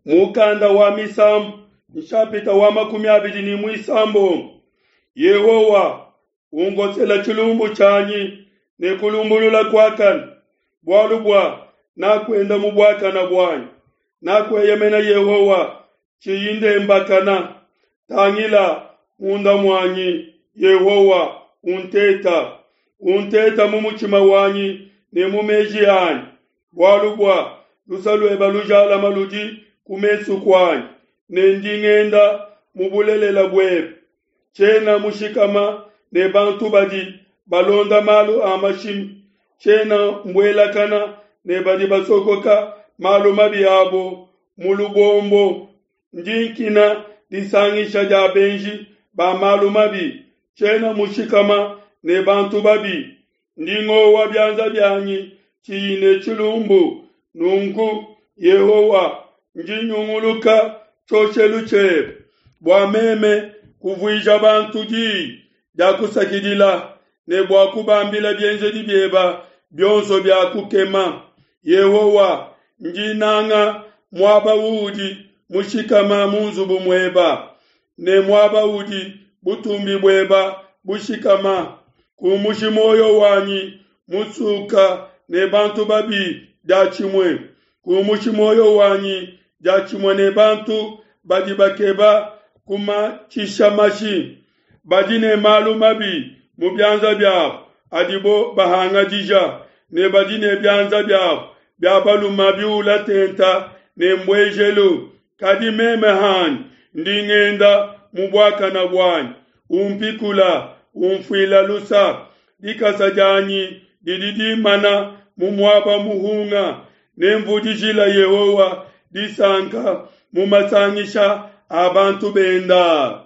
Mukanda wa Misambu, nshapita wa 26. Yehowa, unkosela tshilumbu tshianyi ne kulumbulula kuakane, bualu bua nakuenda mu buakane buanyi. Nakueyemena Yehowa, tshiyi ndembakana. Tangila munda muanyi, Yehowa, unteta. Unteta mu mutshima wanyi ne mu meji anyi, bualu bua lusa lueba lujalama ludi ku mesu kuanyi, ne ndi ngenda mu bulelela buebe. Tshiena mushikama ne bantu badi balonda malu a mashimi, tshiena mbuelakana ne badi basokoka malu mabi abo mu lubombo. Ndi nkina disangisha dia benji ba malu mabi, tshiena mushikama ne bantu babi. Ndi ngowa bianza bianyi tshiyi ne tshilumbu. Nunku Yehowa, ndi nyunguluka tshioshelu tshiebe bua meme kuvuija bantu diyi dia kusakidila ne bua kubambila bienzedi bieba bionso bia kukema. Yehowa, ndi nanga muaba uudi mushikama mu nzubu mueba, ne muaba udi butumbi bueba bushikama. Kumushi muoyo wanyi musuka ne bantu babi diatshimue. Kumushi muoyo wanyi diatshimue ne bantu badi bakeba kumatshisha mashi, badi ne malu mabi mu bianza biabo adibo bahangadija, ne badi ne bianza biabo bia balume biula tenta ne mbuejelu. Kadi meme hanyi ndi ngenda mu buakana buanyi, umpikula, umfuila lusa. Dikasa dianyi didi dimana mu muaba muhunga, nemvudijila Yehowa disanka mu masangisha a bantu benda.